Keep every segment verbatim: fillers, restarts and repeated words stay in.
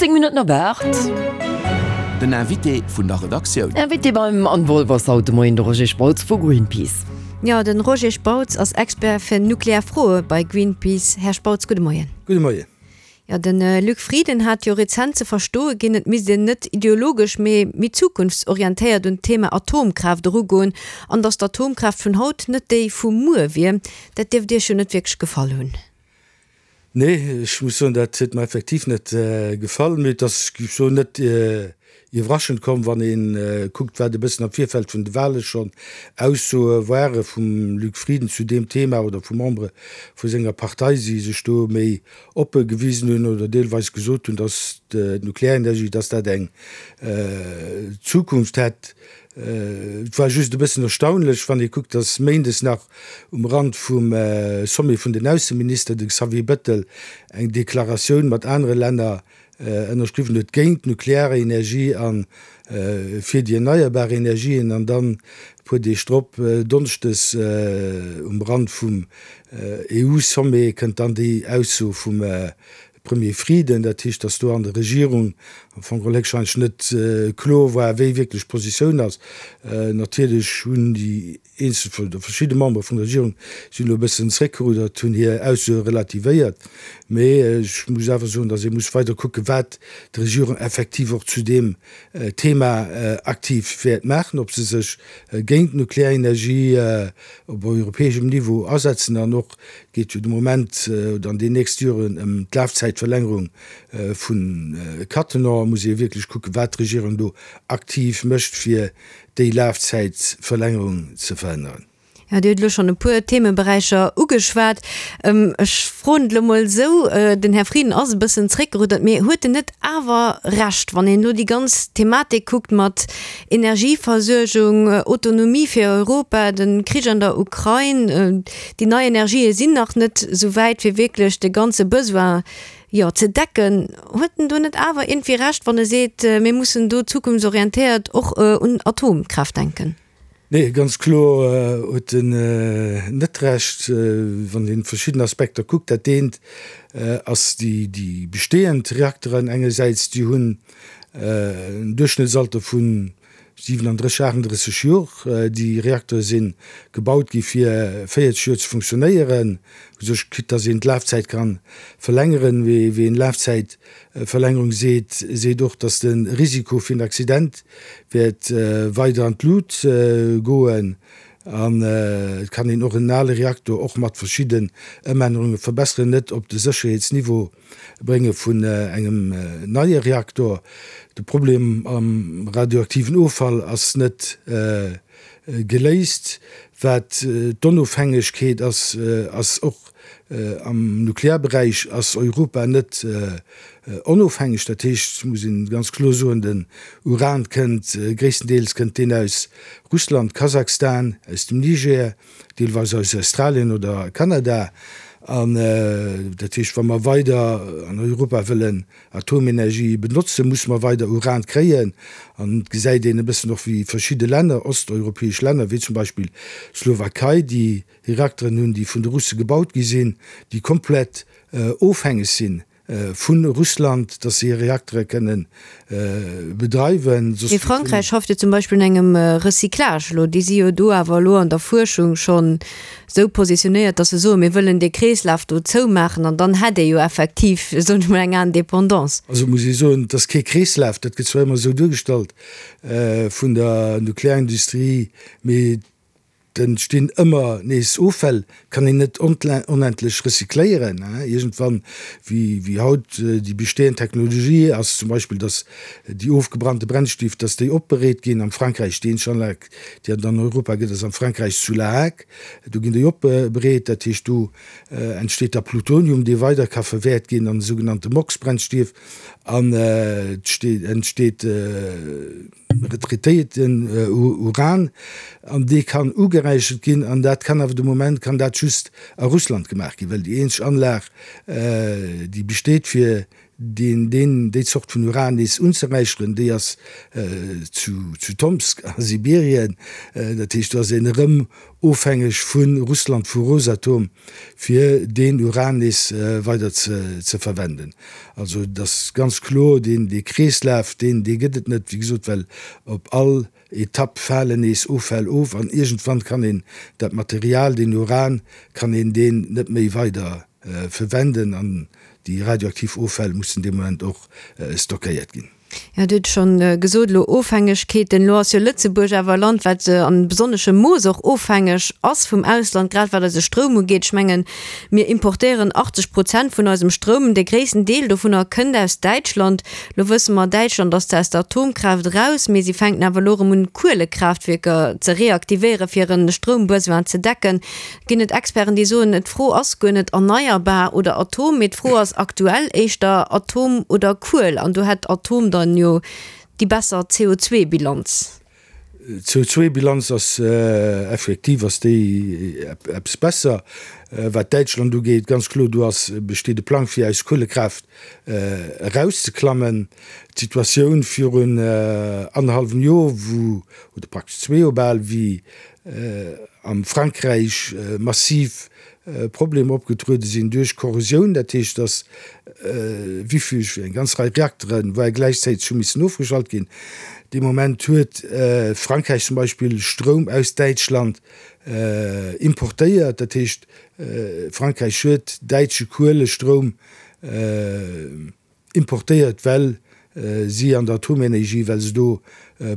Zéng Minutten op aacht. Den Invité vun der Redaktioun. Invité beim Anne Wolff ass haut de Moien de Roger Spautz vu Greenpeace. Jo, den Roger Spautz ass Expert fir nuklear Froe bei Greenpeace. Här Spautz, gudde Moien. Gudde Moien. Jo, de Luc Frieden hat jo rezent ze verstoe ginn, et misst een net ideologesch, mee méi zukunftsorientéiert un d'Thema Atomkraaft erugoen an datt d'Atomkraaft vun haut net déi vu muer wier. Dat dierft Iech jo net wierklech gefall hunn. Nee, ech muss soen, dat huet mer effektiv net gefall. Mee et ass, géif ech soen, net iwwerraschend komm, wann ee kuckt, wat e bëssen am Virfeld vun de Wahle schonn Aussoe ware vum Luc Frieden zu deem Thema oder vu Membere vu senger Partei, déi sech do méi oppe gewisen hunn oder deelweis gesot hunn, datt d'Nuklearenergie, datt dat eng Zukunft hätt. Et war just e bëssen erstaunlech, wann ee kuckt, datt méindes nach um Rand vum Sommet vun den Ausseminister de Xavier Bettel eng Deklaratioun mat anere Länner ënnerschriwwen huet géint d'Nuklearenergie a fir déi erneierbar Energien an dann e puer Deeg drop, donneschdes um Rand vum EU-Sommet, kënnt dann déi Ausso vum Premier Frieden. Dat heescht, datt do an der Regierung am Fong geholl héchstwahrscheinlech net kloer war, wéi wierklech d'Positioun ass. Natierlech hunn déi eenzel oder verschidde Membere vun der Regierung sinn elo e bëssen zréckgerudert, hunn hir Aussoe relativéiert. Mee ech muss awer soen, datt ee muss weider kucken, wat d'Regierung effektiv och zu deem Thema aktiv wäert maachen, ob se sech géint d'Nuklearenergie op europäeschem Niveau asetzen an och geet jo de Moment oder an den nächste Joren ëm d'Lafzäitverlängerung vu Cattenom. Muss ee wierklech kucken, wat d'Regierung do aktiv mécht, fir déi Lafzäitverlängerung ze verhënneren. Jo, Dir hutt elo schonn e puer Themeberäicher ugeschwat. Ech froen et elo mol esou, Den Här Frieden ass e bëssen zréckgeruddert, mee huet en net awer Recht, wann een elo déi ganz Thematik kuckt mat Energieversuergung, Autonomie fir Europa, de Krich an der Ukrain, déi nei Energië sinn nach net esou wäit, fir wierklech de ganze Besoin, jo, ze decken? Huet en do net awer iergendwéi Recht, wann e seet, mir mussen do zukunftsorientéiert och un Atomkraaft denken? Nee, ganz kloer huet en net Recht, wann een verschidden Aspekter kuckt. Dat eent ass déi bestehend Reakteren engersäits, déi hunn en Duerchschnëttsalter vu siwenandrësseg, aachtenddrësseg Jor. Déi Reaktere si gebaut gi fir véierzeg Joer ze funktionéieren, u sech, quitte dass een d'Lafzäit ka verlängeren. Ween Lafzäit Verlängerung seet seet och, datt de Risiko fir en Accident wäert weider an d'Lut goen. An et kann een och en ale Reaktor och mat verschidden Ëmännerunge verbesseren, net op de Sécherheetsniveau brénge vun engem neie Reaktor. De Problem am radioaktiven Offall ass net geléist. Wat d'Onofhängegkeet ass, ass och am Nuklearberäich ass Europa net onofhängeg. Dat heescht, muss een ganz kloer soen, den Uran kënnt, gréisstendeels kënnt deen aus Russland, Kasachstan, aus dem Niger, deelweis aus Australien oder Kanada. An dat heescht, wa mer weider an Europa wëllen Atomenergie benotzen, musse mer weider Uran kréien. An et gesäit een e bëssen och, wéi verschidde Länner, osteuropäesch Länner, wéi zum Beispill d'Slowakei, déi Reakteren hunn, déi vun de Russe gebaut gi sinn, déi komplett ofhängeg si vu Russland, datt se hir Reaktere kënne bedreiwen. Mee Frankräich schafft jo zum Beispill un engem Recyclage elo. Déi si jo do awer elo an der Fuerschung schonn esou positionéiert, datt se soen, mir wëllen dee Kreeslaf do zoumaachen an dann hätt ee jo effektiv, soen ech mol, eng Indépendance. Also muss ee soen, et ass kee Kreeslaf, dat gëtt zwar ëmmer esou duergestallt vun der Nuklearindustrie, mee Et entstinn ëmmer nees Offäll, kann een net onendlech recycléieren. Iergendwann, wéi haut déi bestehend Technologie ass, zum Beispill, datt déi ofgebrannte Brennstief, datt déi opbereet ginn am Frankräich, déi eenzeg Anlag, déi et an Europa gëtt, ass am Frankräich zu La Hague, do ginn déi opbereet. Dat heescht, do entsteet da Plutonium, dee weider ka verwäert ginn an esougenannte MOX-Brennstief an et entsteet retraitéierten Uran an dee kann ugeräichert ginn an dat kann awer de Moment kann dat just a Russland gemaach ginn, well déi eenzeg Anlag déi besteet fir deen, deen, déi Zort vun Uran nees unzeräicheren, déi ass zu, zu Tomsk a Sibirien. Dat heescht, do ass een erëm ofhängeg vu Russland, vu Rosatom, fir deen Uran nees weider ze, ze verwenden. Also et ass ganz kloer, deen, dee Kreeslaf, deen, dee gëtt et net, wéi gesot, well op all Etapp falen nees Offäll of an iergendwann kann een dat Material, deen Uran, kann een deen net méi weider verwenden an déi radioaktiv Offäll mussen dee Moment och stockéiert ginn. Jo, Dir hutt schonn gesot elo, Ofhängegkeeten. Elo ass jo Lëtzebuerg awer e Land, wat an besonneschem Mooss och ofhängeg ass vum Ausland, grad wat eise Stroum ugeet. Ech mengen, mir importéieren achtzeg Prozent vun eisem Stroum. Dee gréissten Deel dovunner kënnt aus Däitschland. Elo wësse mer, Däitschland ass zwar aus der Atomkraaft eraus, mee si fänken awer elo erëm un, Kuelekraaftwierker ze reaktivéieren, fir hiren Stroumbesoin ze decken. Ginn et Experten, déi soen, d'Fro ass guer net erneierbar oder Atom, mee d'Fro ass aktuell éischter Atom oder Kuel, an do hätt Atom dann jo déi besser C O zwei Bilanz. C O zwei Bilanz ass effektiv ass déi eppes besser. Wat Däitschland ugeet, ganz kloer, do ass besteet e Plang fir aus Kuelekraaft erauszeklammen. D'Situatioun virun annerhallwem Joer, wou, oder praktesch zwee Joer bal, wéi am Frankräich massiv Problemer opgetruede sinn duerch Korrosioun, dat heescht, datt wéi vill eng ganz Rei Reakteren war gläichzäiteg hu missen ofgeschalt ginn. Dee Moment huet Frankräich zum Beispill Stroum aus Däitschland importéiert, dat heescht, Frankräich huet däitsche Kuelestroum importéiert, well si an der Atomenergie, well se do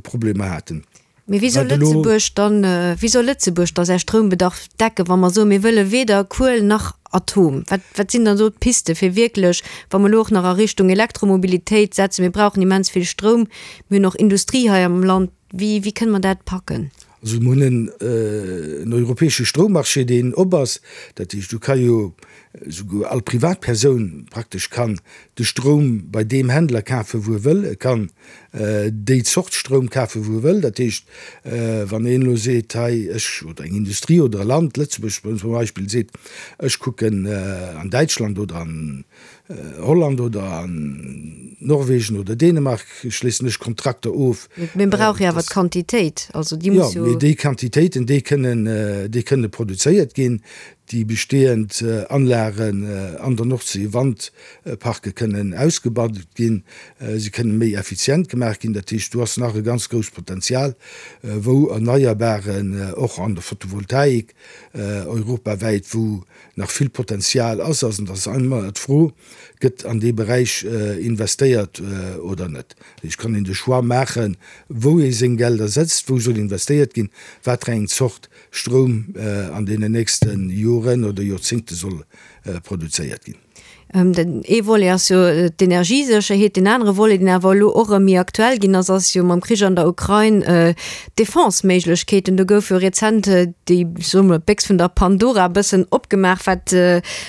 Problemer haten. Mee wéi soll Lëtzebuerg dann, wéi soll Lëtzebuerg da säi Stroumbedarf decken, wa mer soen, mir wëlle weder Kuel nach Atom? Wat, wat sinn dann do d'Piste fir wierklech, wa mer elo och nach a Richtung Elektromobilitéit setzen, mir brauchen immens vill Stroum, mir hunn och Industrie hei am Land, wéi, wéi kënne mer dat packen? Also mir hunn en, en europäesche Stroummarché, deen op ass. Dat heescht, do ka jo esouguer all Privatpersoun praktesch kann de Stroum bei deem Händler kafen, wou e wëll. E kann déi Zort Stroum kafen, wou e wëll. Dat heescht, wann een elo seet, hei ech, oder eng Industrie oder e Land, Lëtzebuerg zum Beispill, seet, ech kucken an Däitschland oder an Holland oder an Norwegen oder Dänemark, schléissen ech Kontrakter of. Mee brauch jo awer d'Quantitéit, also déi muss jo. Jo, mee déi Quantitéiten, déi kënnen, déi kënne produzéiert ginn. Déi bestehend Anlagen an der Nordsee, Wandparke kënnen ausgebaut ginn, si kënnen méi effizient gemaach ginn. Dat heescht, do ass nach e ganz grousst Potenzial, wou Erneierbaren, och an der Photovoltaik europawäit, wou nach vill Potenzial ass. An et ass ëmmer d'Fro, Gëtt an dee Beräich investéiert oder net? Dat heescht, kann een de Choix maachen, wou ee seng Gelder setzt, wou soll investéiert ginn, wat fir eng Zort Stroum an deenen nächste Joren oder Joerzéngte soll produzéiert ginn. Den ee Volet ass jo d'Energiesécherheet, deen anere Volet, deen awer elo och erëm méi aktuell ginn ass, ass jo mam Krich an der Ukrain d'Defense-Méiglechkeeten. Do gouf jo rezent déi, soe mer, d'Béchs vun der Pandora e bëssen opgemaach, wat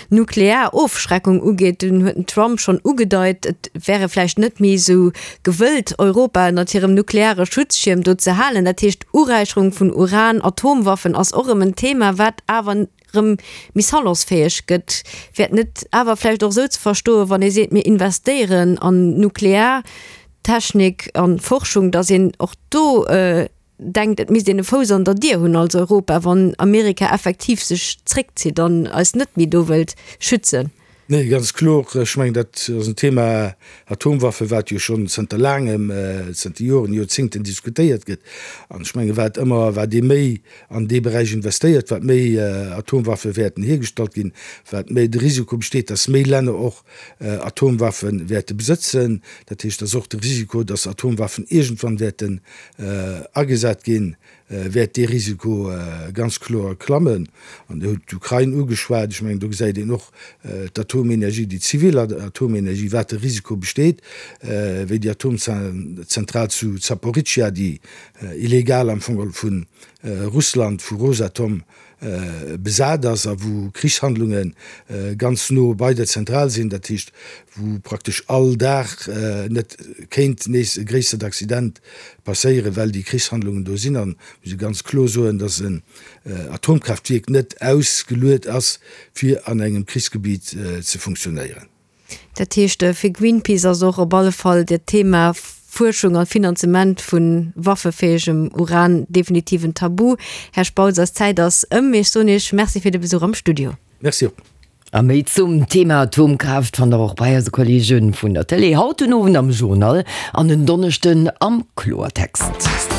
nuklear Ofschreckung ugeet. Dunn huet den Trump schonn ugedeit, et wäre vläicht net méi esou gewëllt, Europa ënnert hirem nukleare Schutzschierm do ze halen. Dat heescht, Uräicherung vun Uran, Atomwaffen ass och erëm en Thema, wat awer erëm méi salonsfäeg gëtt. Wär et net awer vläicht och esou ze verstoen, wann ee seet, mir investéieren an Nukleartechnik an Forschung, datt een och do denkt, et misst een e Fouss an der Dier hunn als Europa, wann Amerika effektiv sech zréckzitt an eis net méi do wëllt schützen? Nee, ganz kloer. Ech mengen, dat ass en Thema, Atomwaffe, wat jo schonn zënter laangem, zënter Joren, Joerzéngten diskutéiert gëtt. An ech mengen, wat ëmmer, wat ee méi an dee Beräich investéiert, wat méi Atomwaffe wäerten hiergestallt ginn, wat méi de Risiko besteet, dass méi Länner och Atomwaffe wäerte besëtzen. Dat heescht, dass och de Risiko, dass Atomwaffen iergendwann wäerten agesat ginn, wäert dee Risiko ganz kloer klammen. An Dir hutt d'Ukrain ugeschwat. Ech mengen, do gesäit een och d'Atomenergie, déi zivil Atomenergie, wat de Risiko besteet, wéi déi Atomzentral zu Zaporizhzhia, déi illegal am Fong geholl vu Russland, vu Rosatom besat ass a wou Krichshandlunge ganz no bei der Zentral sinn, dat heescht, wou praktesch all Dag net kéint nees e gréissert Accident passéieren, well déi Krichshandlungen do sinn. An muss ee ganz kloer soen, datt en Atomkraaftwierk net ausgeluet ass, fir an engem Krichsgebiet ze funktionéieren. Dat heescht, fir Greenpeace ass och op alle Fall dat Thema Fuerschung a Finanzement vu waffefäegem Uran definitiv en Tabu. Här Spautz, eis Zäit ass ëm. Ech soen Iech Merci fir de Besuch am Studio. Merci och. A méi zum Thema Atomkraaft fannt der och bei eise Kolleege vun der Télé haut den Owend am Journal an en Donneschden am Kloertext.